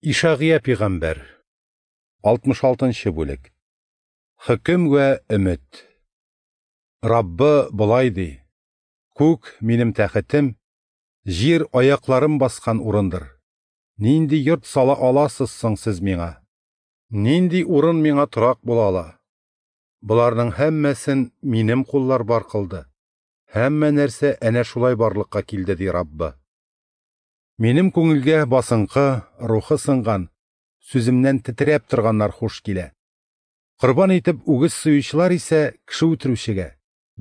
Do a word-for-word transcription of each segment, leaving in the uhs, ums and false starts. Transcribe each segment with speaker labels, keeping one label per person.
Speaker 1: Ишагыя пәйгамбәр, алтмыш алтынчы бүлек. Хөкем вә өмет. Раббы болай ди: Күк минем тәхетем, җир аякларым баскан урындыр. Нинди йорт сала аласыз соң сез миңа? Нинди урын миңа торак була ала? Боларның һәммәсен минем куллар бар кылды. Һәммә нәрсә әнә шулай барлыкка килде, ди Раббы. Минем күңелгә басынкы, рухы сынган, сүземнән тетрәп торганнар хуш килә. Корбан итеп үгез суючылар исә кеше үтерүчегә,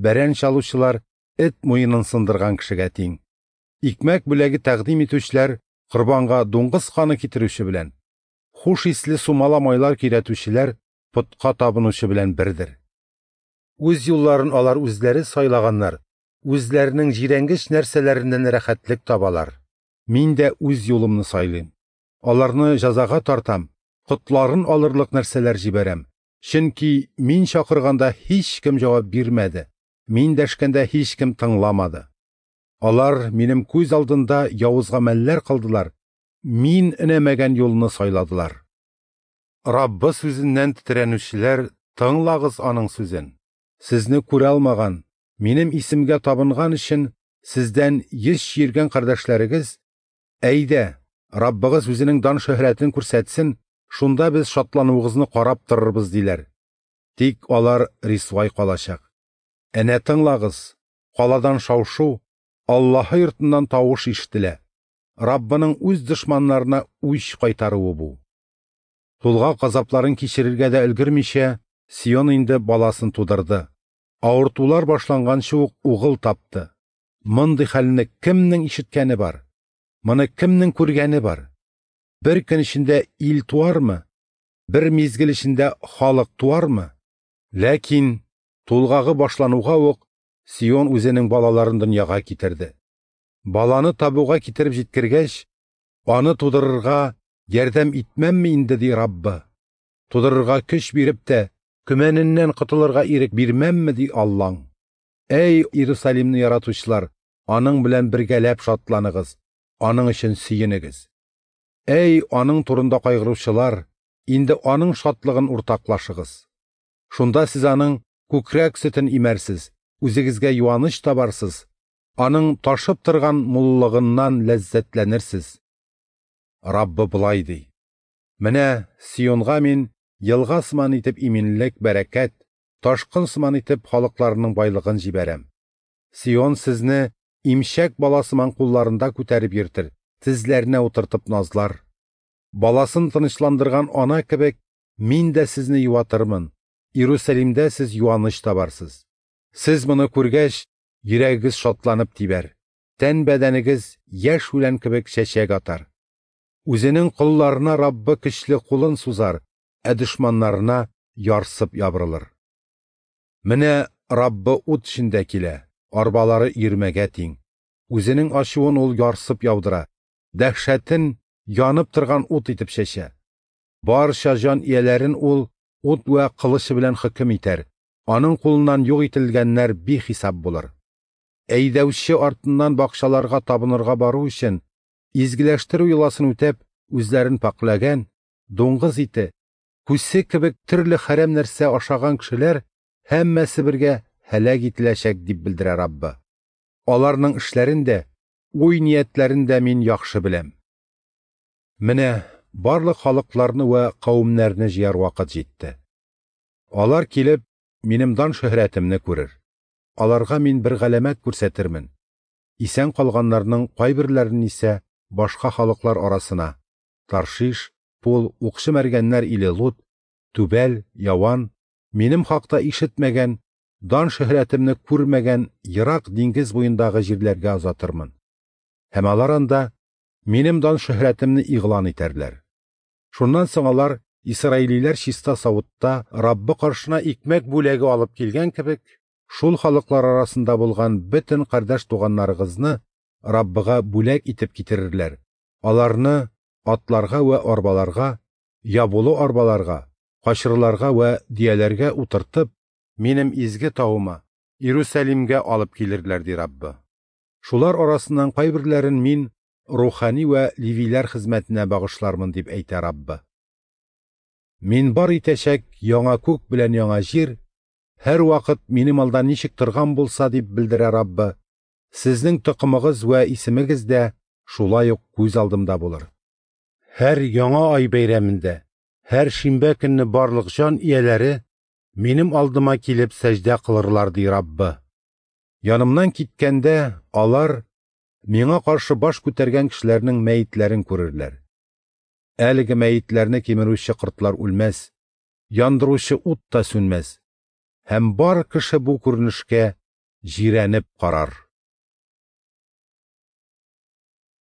Speaker 1: бәрән чалучылар эт муенын сындырган кешегә тиң. Икмәк бүләге тәкъдим итүчеләр корбанга дуңгыз каны китерүче белән, хуш исле сумала майлар көйрәтүчеләр потка табынучы белән бердер. Үз юлларын алар үзләре сайлаганнар, үзләренең җирәнгеч нәрсәләреннән рәхәтлек табалар. Мин дә үз юлымны сайлыйм. Аларны җәзага тартам, котларын алырлык нәрсәләр җибәрәм. Чөнки мин чакырганда һичкем җавап бирмәде, мин дәшкәндә һичкем тыңламады. Алар минем күз алдында явыз гамәлләр кылдылар, мин өнәмәгән юлны сайладылар. Раббы сүзеннән тетрәнүчеләр, тыңлагыз аның сүзен. Сезне күрә алмаган, минем исемгә табынган өчен сездән йөз чиргән кардәшләрегез: Әйдә, Раббыгыз үзенең дан шөһрәтен күрсәтсен, шунда без шатлануыгызны карап торырбыз, диләр. Тик алар рисвай калачак. Әнә тыңлагыз, каладан шау-шу, Аллаһы йортыннан тавыш ишетелә. Раббының үз дошманнарына үч кайтаруы бу. Тулгак газапларын кичерергә дә өлгермичә, Сион инде баласын тудырды. Авыртулар башланганчы ук угыл тапты. Мондый хәлне кемнең ишеткәне бар? Моны кемнең күргәне бар? Бер көн эчендә ил туармы? Бер мизгел эчендә халык туармы? Ләкин тулгагы башлануга ук Сион үзенең балаларын дөньяга китерде. Баланы табуга китереп җиткергәч, аны тудырырга ярдәм итмәмме инде, ди Раббы. Тудырырга көч биреп тә, көмәненнән котылырга ирек бирмәмме, ди Аллаң. Әй, Иерусалимны яратучылар, аның белән бергәләп шатланыгыз, аның өчен сөенегез. Әй, аның турында кайгыручылар, инде аның шатлыгын уртаклашыгыз. Шунда сез аның күкрәк сөтен имәрсез, үзегезгә юаныч табарсыз, аның ташып торган муллыгыннан ләззәтләнерсез. Раббы болай ди: Менә Сионга мин елга сыман итеп иминлек, бәрәкәт, ташкын сыман итеп халыкларының байлыгын җибәрәм. Сион сезне имчәк бала сыман кулларында күтәреп йөртер, тезләренә утыртып назлар. Баласын тынычландырган ана кебек мин дә сезне юатырмын. Иерусалимдә сез юаныч табарсыз. Сез моны күргәч, йөрәгегез шатланып тибәр, тән бәдәнегез яшь үлән кебек чәчәк атар. Үзенең колларына Раббы көчле кулын сузар, ә дошманнарына ярсып ябырылыр. Менә Раббы ут эчендә килә, арбалары өермәгә тиң. Үзенең ачуын ул ярсып яудыра, дәһшәтен янып торган ут итеп чәчә. Барча җан ияләрен ул ут вә кылычы белән хөкем итәр. Аның кулыннан юк ителгәннәр бихисап булыр. Әйдәүче артыннан бакчаларга табынырга бару өчен изгеләштерү йоласын үтәп, үзләрен пакьләгән, дуңгыз ите, күсе кебек төрле хәрәм нәрсә ашаган кешеләр һәммәсе бергә һәлак ителәчәк, дип белдерә Раббы. Аларның эшләрен дә, уй ниятләрен дә мин яхшы беләм. Менә барлык халыкларны вә кавемнәрне җыяр вакыт җитте. Алар килеп минем дан шөһрәтемне күрер. Аларга мин бер галәмәт күрсәтермен. Исән калганнарның кайберләрен исә башка халыклар арасына Таршиш, Пул, укчы мәргәннәр иле Лут, Түбәл, Яван, минем хакта ишетмәгән, дан шөһрәтемне күрмәгән ерак диңгез буендагы җирләргә озатырмын. Һәм алар анда минем дан шөһрәтемне игълан итәрләр. Шуннан соң алар исраилиләр чиста савытта Раббы каршына икмәк бүләге алып килгән кебек, шул халыклар арасында булган бөтен кардәш туганнарыгызны Раббыга бүләк итеп китерерләр. Аларны атларга вә арбаларга, ябулы арбаларга, качырларга вә дияләргә утыртып, минем изге тавыма, Иерусалимгә алып килерләр, ди Раббы. Шулар арасыннан кайберләрен мин рухани вә левиләр хезмәтенә багышлармын, дип әйтә Раббы. Мин бар итәчәк яңа күк белән яңа җир һәрвакыт минем алда ничек торган булса, дип белдерә Раббы, сезнең токымыгыз вә исемегез дә шулай ук күз алдымда булыр. Һәр яңа ай бәйрәмендә, һәр шимбә көнне барлык җан ияләре минем алдыма килеп сәҗдә кылырлар, ди Раббы. Янымнан киткәндә алар миңа каршы баш күтәргән кешеләрнең мәетләрен күрерләр. Әлеге мәетләрне кимерүче кортлар үлмәс, яндыручы ут та сүнмәс. Һәм бар кеше бу күренешкә җирәнеп карар.